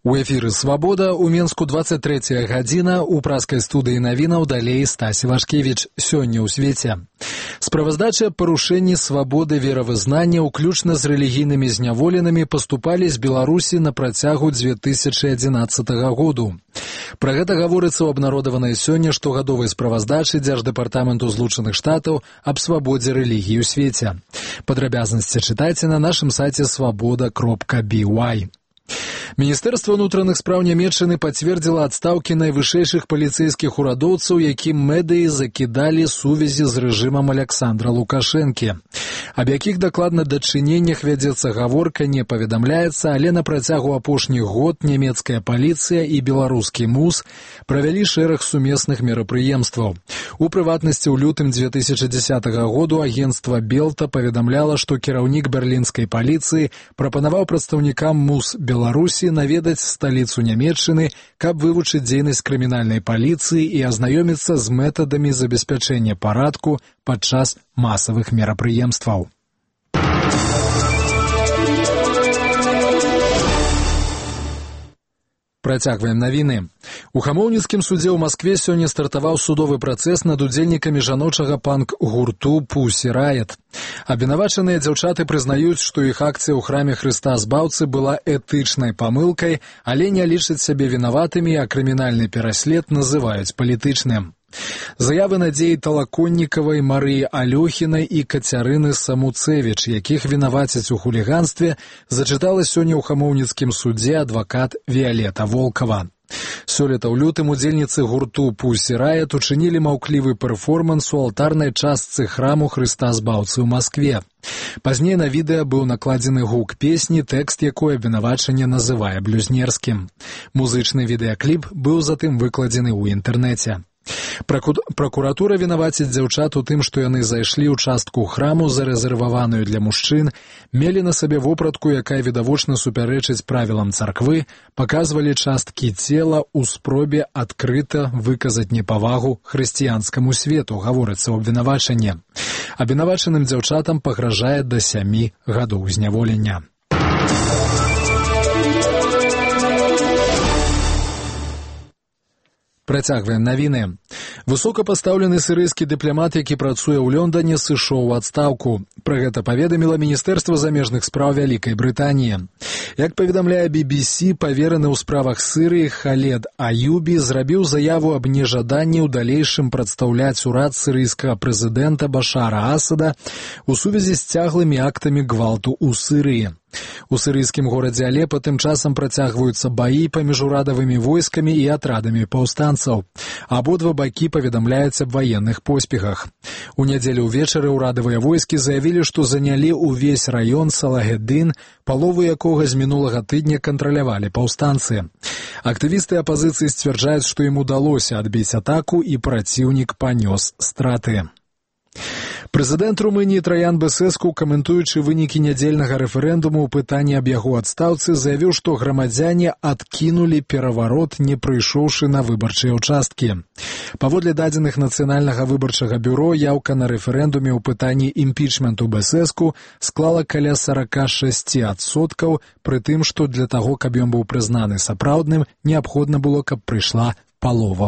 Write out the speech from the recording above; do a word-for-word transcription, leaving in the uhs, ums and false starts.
У эфіры «Свабода» у Менску двадцать третья гадзіна, у праскай студыі навінаў далей Стась Івашкевіч. Сёння ў свеце. Справаздачы аб парушэнні свабоды веравызнання, уключна з рэлігійнымі зняволенымі, паступалі з Беларусі на працягу две тысячы адзінаццатага году. Пра гэта гаворыцца ў абнародаванай сёння штогадовай справаздачы Дзярждэпартаменту Злучаных Штатаў аб свабодзе рэлігіі ў свеце. Падрабязнасці чытайце на нашым сайце свабода кропка би уай. Міністэрства ўнутраных спраў Нямецчыны пацвердзіла адстаўкі найвышэйшых паліцэйскіх урадоўцаў, якім медыі закідалі сувязі з рэжымам Аляксандра Лукашэнкі. Аб якіх дакладна дачыненнях вядзецца гаворка, не паведамляецца, але на працягу апошніх год нямецкая паліцыя і беларускі МУС правялі шэраг сумесных мерапрыемстваў. У прыватнасці, ў лютым две тысячы дзесятага году агенцтва Белта паведамляла, што кіраўнік берлінскай паліцыі прапанаваў прадстаўнікам МУС Беларусі наведаць сталіцу Нямецчыны, каб вывучыць дзейнасць крымінальнай паліцыі і азнаёміцца з метадамі забеспячэння парадку падчас масавых мерапрыемстваў. Працягваем навіны. У Хамоўніцкім судзе ў Маскве сёння стартаваў судовы працэс над удзельнікамі жаночага панк-гурту «Пусі Райет». Абвінавачаныя дзяўчаты прызнаюць, што іх акцыя ў храме Хрыста Збаўцы была этычнай памылкай, але не лічаць сябе вінаватымі, а крымінальны пераслед называюць палітычным. Заявы Надзеі Талаконнікавай, Марыі Алёхінай і Кацярыны Самуцевіч, якіх вінавацяць у хуліганстве, зачытала сёння ў Хамоўніцкім судзе адвакат Віялета Волкава. Сёлета ў лютым удзельніцы гурту «Пусі Райет» учынілі маўклівы перформанс у алтарнай частцы храму Хрыста Збаўцы ў Маскве. Пазней на відэа быў накладзены гук песні, тэкст якой абвінавачанне называе блюзнерскім. Музычны відэакліп быў затым выкладзены ў інтэрнэце. Пракуратура вінаваціць дзяўчат у тым, што яны зайшлі ў частку храму, зарэзерваваную для мужчын, мелі на сабе вопратку, якая відавочна супярэчыць правілам царквы, паказвалі часткі цела ў спробе адкрыта выказаць непавагу хрысціянскаму свету, гаворыцца ў абвінавачанні. Абвінавачаным дзяўчатам пагражае да сямі гадоў зняволення. Працягваем навіны. Высокапастаўлены сірыйскі дыпламат, які працуе ў Лондоне, сышоў у адстаўку. Пра гэта паведаміла Міністэрства замежных спраў Вялікай Брытаніі. Як паведамляе би би сі, павераны ў справах Сырыі Халед Аюбі зрабіў заяву аб нежаданні ў далейшым прадстаўляць урад сірыйскага прэзідэнта Башара Асада у сувязі з цяглымі актамі гвалту ў Сырыі. У сірыйскім горадзе Алепа тым часам працягваюцца баі паміж урадавымі войскамі і атрадамі паўстанцаў. Абодва бакі паведамляюць аб ваенных поспехах. У нядзелю ўвечары ўрадавыя войскі заявілі, што занялі ўвесь раён Салагеддын, палову якога з мінулага тыдня кантралявалі паўстанцы. Актывісты апазіцыі сцвярджаюць, што ім удалося адбіць атаку і праціўнік панёс страты. Прэзідэнт Румыніі Траян Бэсэску, каментуючы вынікі нядзельнага рэферэндуму ў пытанні аб яго адстаўцы, заявіў, што грамадзяне адкінулі пераварот, не прыйшоўшы на выбарчыя ўчасткі. Паводле дадзеных Нацыянальнага выбарчага бюро, яўка на рэферэндуме ў пытанні імпічменту Бэсэску склала каля сорок шесть адсоткаў, пры тым, што для таго, каб ён быў прызнаны сапраўдным, неабходна было, каб прыйшла палова